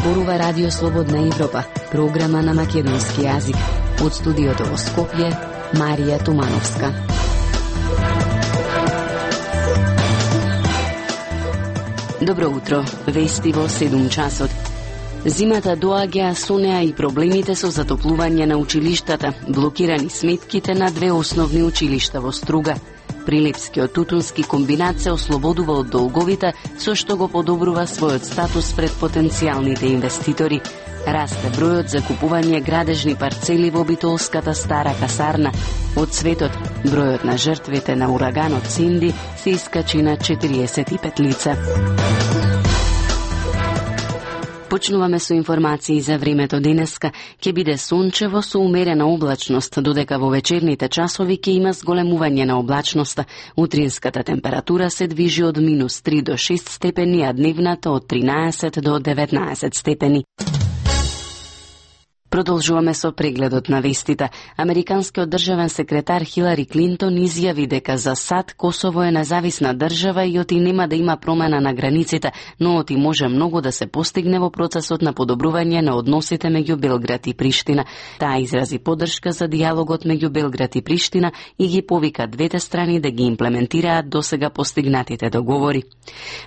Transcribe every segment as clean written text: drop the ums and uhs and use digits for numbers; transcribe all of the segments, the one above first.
зборува Радио Слободна Европа, програма на македонски јазик. Од студиото во Скопје, Марија Тумановска. Добро утро, вести во 7 часот. Зимата доаѓа, со неа и проблемите со затоплување на училиштата, блокирани сметките на две основни училишта во Струга. Прилепскиот тутунски комбинат се ослободува од долговите, со што го подобрува својот статус пред потенцијалните инвеститори. Расте бројот за купување градежни парцели во битолската стара касарна. Од светот, бројот на жртвите на ураганот Синди се искачи на 45 лица. Почнуваме со информации за времето денеска. Ќе биде сончево со умерена облачност, додека во вечерните часови ќе има зголемување на облачноста. Утринската температура се движи од -3 до 6 степени, а дневната од 13 до 19 степени. Продолжуваме со прегледот на вестите. Американскиот државен секретар Хилари Клинтон изјави дека за САД Косово е независна држава и оти нема да има промена на границите, но оти може многу да се постигне во процесот на подобрување на односите меѓу Белград и Приштина. Таа изрази поддршка за дијалогот меѓу Белград и Приштина и ги повика двете страни да ги имплементираат досега постигнатите договори.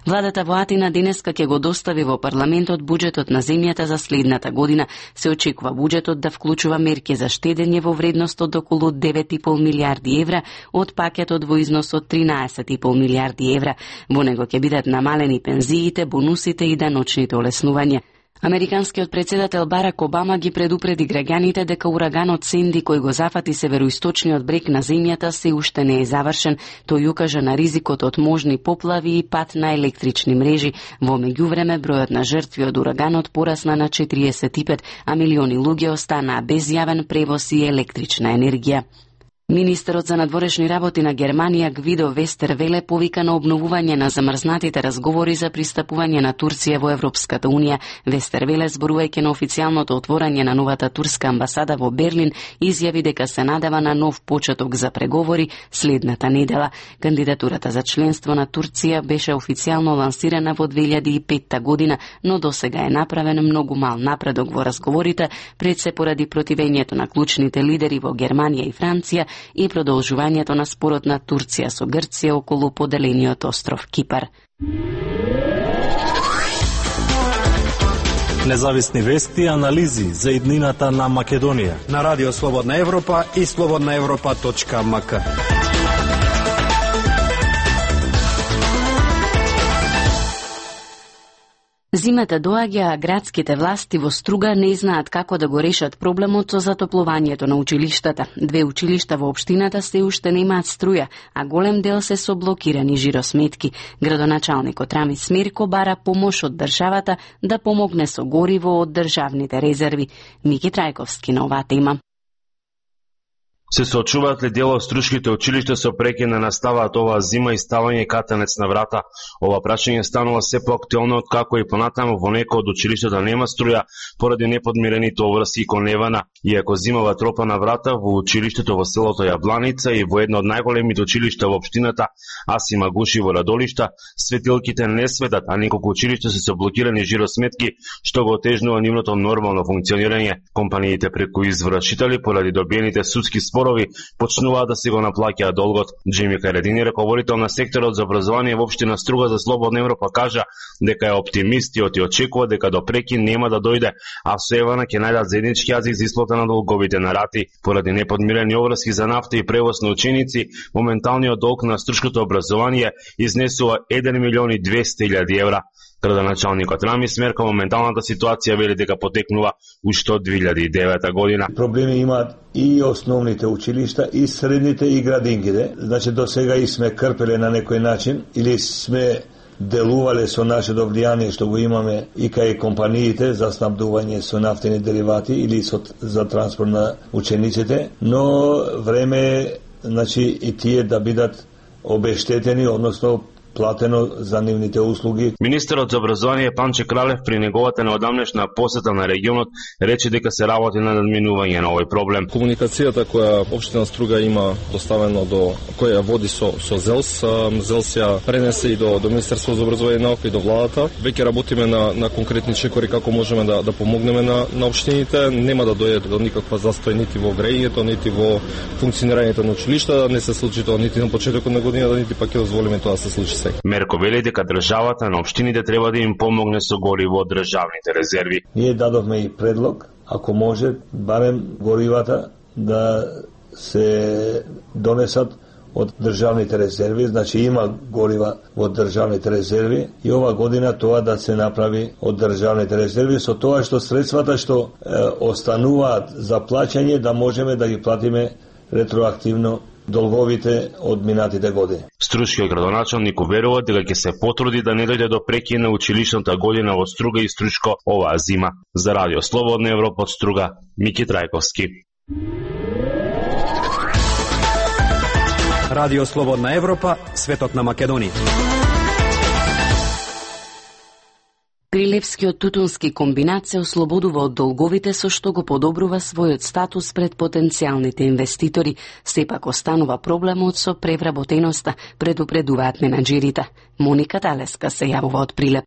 Владата во Атина денеска ќе го достави во парламентот буџетот на земјата за следната година. Се очекува буџетот да вклучува мерки за штедење во вредност од околу 9,5 милиарди евра од пакетот во износ од 13,5 милиарди евра. Во него ќе бидат намалени пензиите, бонусите и даночните олеснувања. Американскиот председател Барак Обама ги предупреди граѓаните дека ураганот Синди кој го зафати североисточниот брег на земјата се уште не е завршен. Тој укажа на ризикот од можни поплави и пат на електрични мрежи. Во меѓувреме бројот на жртви од ураганот порасна на 45, а милиони луѓе останаа без јавен превоз и електрична енергија. Министерот за надворешни работи на Германија Гвидо Вестервеле повика на обновување на замрзнатите разговори за пристапување на Турција во Европската унија. Вестервеле, зборувајќи на официјалното отворање на новата турска амбасада во Берлин, изјави дека се надева на нов почеток за преговори следната недела. Кандидатурата за членство на Турција беше официјално лансирана во 2005 година, но досега е направен многу мал напредок во разговорите, пред се поради противењето на клучните лидери во Германија и Франција и продолжувањето на спорот на Турција со Грција околу поделениот остров Кипар. Независни вести и анализи за иднината на Македонија на Радио Слободна Европа и slobodnaevropa.mk. Зимата доаѓа, а градските власти во Струга не знаат како да го решат проблемот со затоплувањето на училиштата. Две училишта во општината се уште немаат струја, а голем дел се со блокирани жиросметки. Градоначалникот Рами Смирко бара помош од државата да помогне со гориво од државните резерви. Мики Трајковски на оваа тема. Се соочуваат ли дел од струшките училишта со прекина наставаат оваа зима и ставање катанец на врата? Ова прашање станува се поактуелно откако и понатаму во некој од училиштата нема струја поради неподмирените обврски кон Невана. Иако зимава тропа на врата во училиштето во селото Јабланица и во едно од најголемите училишта во општината Аси Магуши во Радолишта, светилките не светат, а неколку училишта се со блокирани жиросметки, што го отежнува нивното нормално функционирање. Компаниите преку извршители поради добиените судски спорови почнуваат да се го наплаќаат долгот. Джими Каредини, раководител на секторот за образование во општина Струга за Слободна Европа, кажа дека е оптимист и очекува дека до прекин нема да дојде, а со Евана ќе најдат заеднички јазик за исплата на долговите на рати. Поради неподмирени обврски за нафта и превоз на ученици, моменталниот долг на струшкото образование изнесува 1.200.000 евра. Градоначалникот Рами Смерко моменталната ситуација вели дека потекнува уште од 2009 година. Проблеми имаат и основните училишта, и средните, и градингите. Значи, до сега и сме крпеле на некој начин, или сме делувале со нашето влијание што го имаме и кај компаниите за снабдување со нафтени деривати или за транспорт на учениците, но време значи и тие да бидат обештетени, односно платено за нивните услуги. Министерот за образование Панче Кралев при неговата неодамнешна посета на регионот рече дека се работи на надминување на овој проблем. Комуникацијата која општина Струга има доставено која води со ЗЕЛС, ЗЕЛС ја пренесе и до Министерството за образование и наука и до владата. Веќе работиме на конкретни чекори како можеме да помогнеме на општините. Нема да дојде до никаква застој нити во грејењето, нити во функционирањето на училишта, не се случи тоа нити на почетокот на годината, нити пак ќе дозволиме тоа да се случи сега. Мерко вели дека државата на општините треба да им помогне со гориво од државните резерви. Ние дадовме и предлог, ако може, барем горивата да се донесат од државните резерви, значи има горива во државните резерви и ова година тоа да се направи од државните резерви со тоа што средствата што остануваат за плаќање да можеме да ги платиме ретроактивно долговите од минатите години. Струшкиот градоначалник уверува дека ќе се потруди да не дојде до прекин на училишната година во Струга и Стручко оваа зима. За Радио Слободна Европа од Струга, Мики Трајковски. Радио Слободна Европа, светот на Македонија. Прилепскиот тутунски комбинат се ослободува од долговите со што го подобрува својот статус пред потенцијалните инвеститори. Сепак останува проблемот со превработеноста, предупредуваат менаџерите. Моника Талеска се јавува од Прилеп.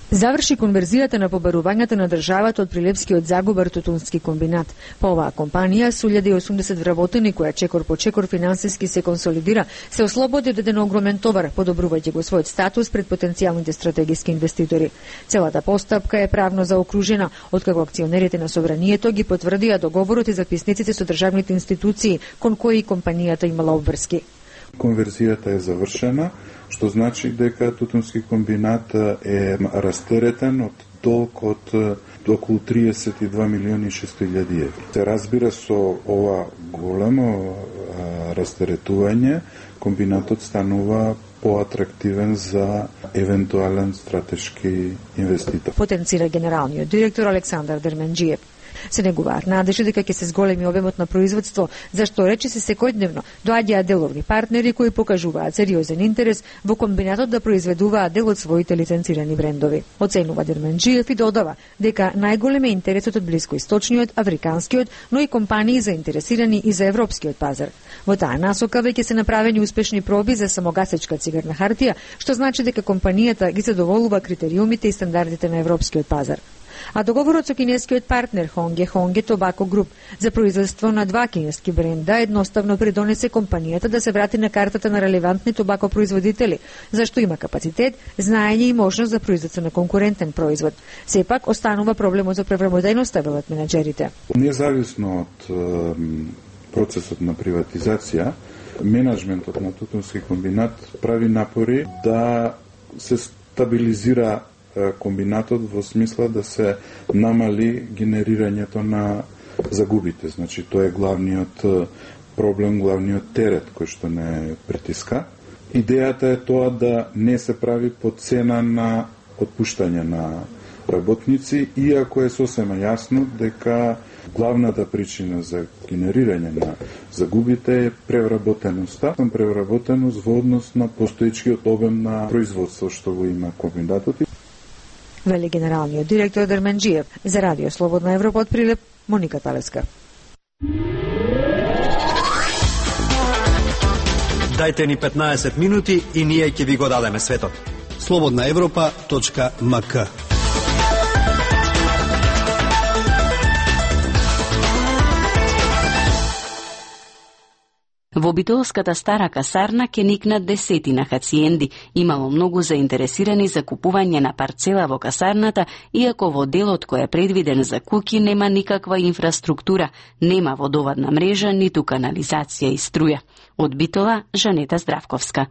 Заврши конверзијата на побарувањата на државата од Прилепскиот Загубар тутунски комбинат. По оваа компанија со 1080 вработени која чекор по чекор финансиски се консолидира, се ослободи од еден огромен товар, подобрувајќи го својот статус пред потенцијалните стратегиски инвеститори. Целата постапка е правно заокружена, откако акционерите на собранието ги потврдија договорот и записниците со државните институции кон кои компанијата имала обврски. Конверзијата е завршена, што значи дека тутунски комбинат е растеретен од долг од околу 32 милиони и 600 илјади евра. Се разбира со ова големо растеретување, комбинатот станува поатрактивен за евентуален стратешки инвеститор. Потенцира генералниот директор Александар Дерменџиев. Се негуваат надежи дека ќе се зголеми обемот на производство, зашто рече се секојдневно доаѓаат деловни партнери кои покажуваат сериозен интерес во комбинатот да произведуваат дел од своите лиценцирани брендови. Оценува Дерменџиев и додава дека најголем е интересот од блискоисточниот, африканскиот, но и компании заинтересирани и за европскиот пазар. Во таа насока веќе се направени успешни проби за самогасечка цигарна хартија, што значи дека компанијата ги задоволува критериумите и стандардите на европскиот пазар. А договорот со кинескиот партнер Honge Tobacco Group за производство на два кинески бренда едноставно придонесе компанијата да се врати на картата на релевантни тобако производители, зашто има капацитет, знаење и можност за производство на конкурентен производ. Сепак останува проблемот за превработеноста, велат менаџерите. Независно од процесот на приватизација, менеджментот на тутунски комбинат прави напори да се стабилизира комбинатот во смисла да се намали генерирањето на загубите. Значи, тоа е главниот проблем, главниот терет кој што не притиска. Идејата е тоа да не се прави по цена на отпуштање на работници, иако е сосема јасно дека главната причина за генерирање на загубите е превработеноста. Превработеност во однос на постоечкиот обем на производство што го има комбинатот. Вели генералниот директор Дерменџиев. За Радио Слободна Европа од Прилеп, Моника Талеска. Дајте ни 15 минути и ние ќе ви го дадеме светот. slobodnaevropa.mk. Во Битолската стара касарна ќе никнат десетина хациенди. Имало многу заинтересирани за купување на парцела во касарната, иако во делот кој е предвиден за куќи нема никаква инфраструктура, нема водовадна мрежа, ниту канализација и струја. Од Битола, Жанета Здравковска.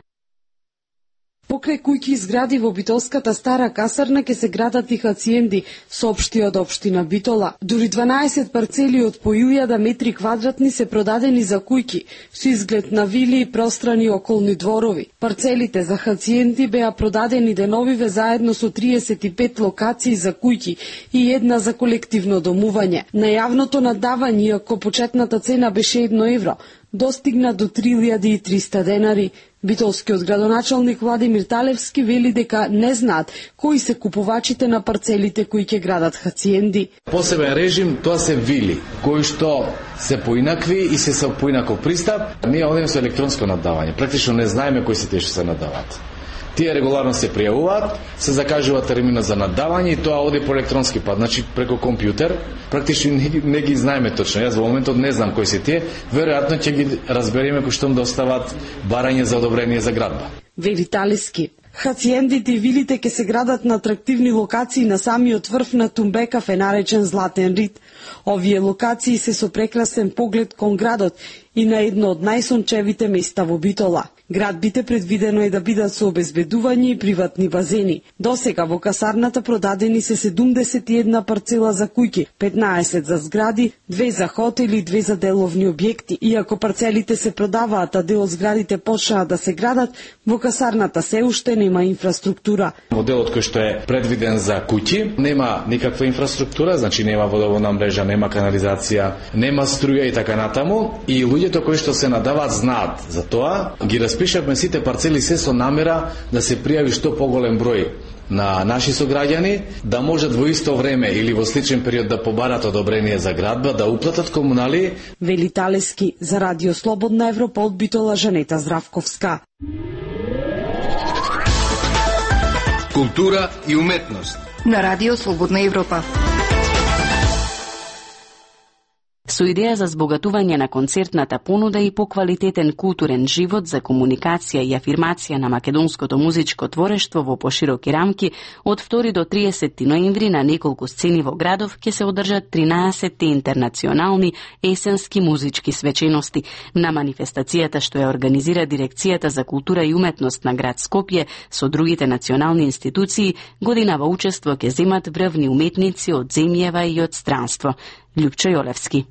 Покрај куќи и згради во Битолската стара касарна ќе се градат и хациенди, соопшти од општина Битола. Дури 12 парцели од по 1000 метри квадратни се продадени за куќи, со изглед на вили и пространи околни дворови. Парцелите за хациенди беа продадени деновиве заедно со 35 локации за куќи и една за колективно домување. На јавното надавање, ако почетната цена беше 1 евро, достигна до 3300 денари. Битолскиот градоначалник Владимир Талевски вели дека не знаат кои се купувачите на парцелите кои ќе градат хациенди. Посебен режим тоа се вили, кои што се поинакви и се со поинаков пристап. Ние одиме со електронско наддавање. Практично не знаеме кои се тие што се наддаваат. Тие регуларно се пријавуваат, се закажува термина за наддавање и тоа оди по електронски пат, значи преку компјутер. Практично не ги знаеме точно. Јас во моментот не знам кои се тие. Веројатно ќе ги разбереме кои што достават барање за одобрение за градба. Вели Талевски. Хациендите и вилите ќе се градат на атрактивни локации на самиот врв на Тумбекав е наречен Златен Рид. Овие локации се со прекрасен поглед кон градот и на едно од најсончевите места во Битола. Градбите предвидено е да бидат со обезбедување и приватни базени. Досега во касарната продадени се 71 парцела за куќи, 15 за згради, 2 за хотели и 2 за деловни објекти. Иако парцелите се продаваат, а дел од зградите почнаа да се градат, во касарната се уште нема инфраструктура. Моделот кој што е предвиден за куќи нема никаква инфраструктура, значи нема водоводна мрежа, нема канализација, нема струја и така натаму, и луѓето кои што се надаваат знаат за тоа. Ги распишавме сите парцели се со намера да се пријави што поголем број на наши сограѓани, да можат во исто време или во сличен период да побарат одобрение за градба, да уплатат комунали. Вели Талевски за Радио Слободна Европа од Битола, Жанета Здравковска. Култура и уметност на Радио Слободна Европа. Со идеја за збогатување на концертната понуда и поквалитетен културен живот за комуникација и афирмација на македонското музичко творештво во пошироки рамки, од 2 до 30 ноември на неколку сцени во градов ќе се одржат 13 интернационални есенски музички свечености. На манифестацијата што ја организира Дирекцијата за култура и уметност на град Скопје со другите национални институции, годинава учество ќе земат врвни уметници од земјава и од странство. Љупчо Јолевски.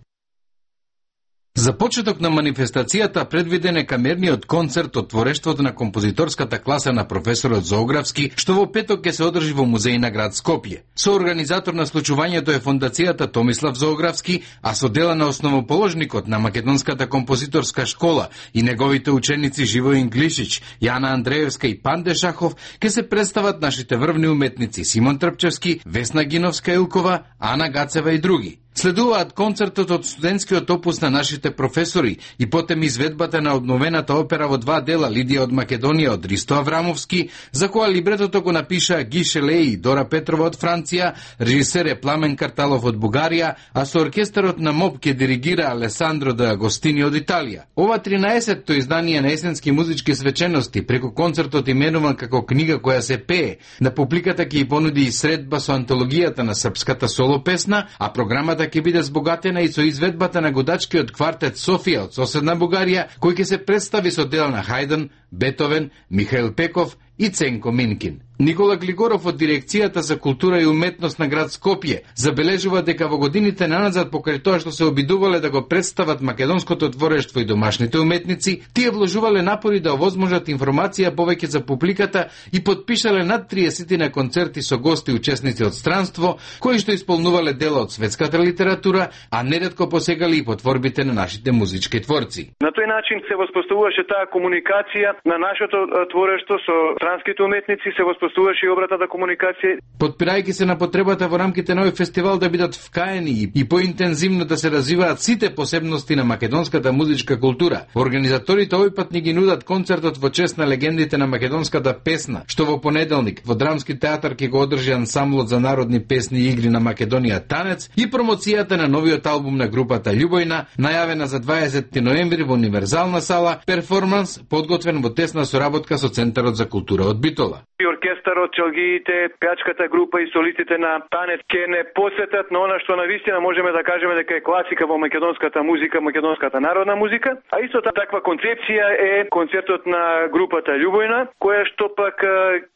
За почеток на манифестацијата предвиден е камерниот концерт од творештвото на композиторската класа на професорот Зоографски, што во петок ќе се одржи во музеј на град Скопје. Соорганизатор на случувањето е фондацијата Томислав Зоографски, а со дела на основоположникот на Македонската композиторска школа и неговите ученици Живоин Глишич, Јана Андреевска и Панде Шахов ќе се представат нашите врвни уметници Симон Трпчевски, Весна Гиновска-Илкова, Ана Гацева и други. Следуваат концертот од студентскиот опус на нашите професори и потем изведбата на обновената опера во 2 дела Лидија од Македонија од Ристо Аврамовски, за која либретото го напиша Ги Шелеи и Дора Петрова од Франција, режисер е Пламен Карталов од Бугарија, а со оркестарот на МОП ќе диригира Алесандро де Агостини од Италија. Ова 13-то издание на есенски музички свечености преку концертот именуван како книга која се пее, на публиката ќе и понуди и средба со антологијата на српската соло песна, а програмата ќе биде збогатена и со изведбата на годачкиот квартет Софија од соседна Бугарија, кој ќе се представи со дела на Хајден, Бетовен, Михаил Пеков и Ценко Минкин. Никола Глигоров од Дирекцијата за култура и уметност на град Скопје забележува дека во годините наназад покрај тоа што се обидувале да го представат македонското творештво и домашните уметници, тие вложувале напори да овозможат информација повеќе за публиката и подпишале над 30 на концерти со гости и учесници од странство, кои што исполнувале дела од светската литература, а неретко посегали и по творбите на нашите музички творци. На тој начин се воспоставуваше таа комуникација на нашето творештво со странските уметници, се воспоставуваше и обратната комуникација. Подпирајќи се на потребата во рамките на овој фестивал да бидат вкаени и поинтензивно да се развиваат сите посебности на македонската музичка култура, организаторите овој пат ни ги нудат концертот во чест на легендите на македонската песна, што во понеделник во Драмски театар ќе го одржи ансамблот за народни песни и игри на Македонија Танец и промоцијата на новиот албум на групата Љубојна, најавена за 20 ноември во Универзална сала, перформанс подготвен во тесна соработка со Центарот за култура од Битола. И оркестарот, челгиите, пеачката група и солистите на Танец ќе не посетат на она што навистина можеме да кажеме дека е класика во македонската музика, македонската народна музика, а исто таква концепција е концертот на групата Љубојна, која што пак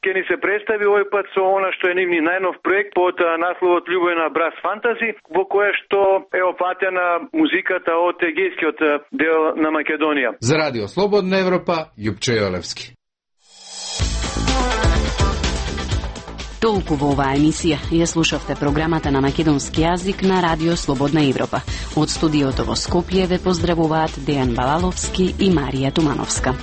ќе ни се представи овој пат со она што е нивни најнов проект под насловот Љубојна Брас Фантази, во која што е опатена музиката од егејскиот дел на Македонија. За Радио Слободна Европа, Љупчо Јолевски. Толку во оваа емисија. Ја слушавте програмата на македонски јазик на Радио Слободна Европа. Од студиото во Скопје ве поздравуваат Дејан Балаловски и Марија Тумановска.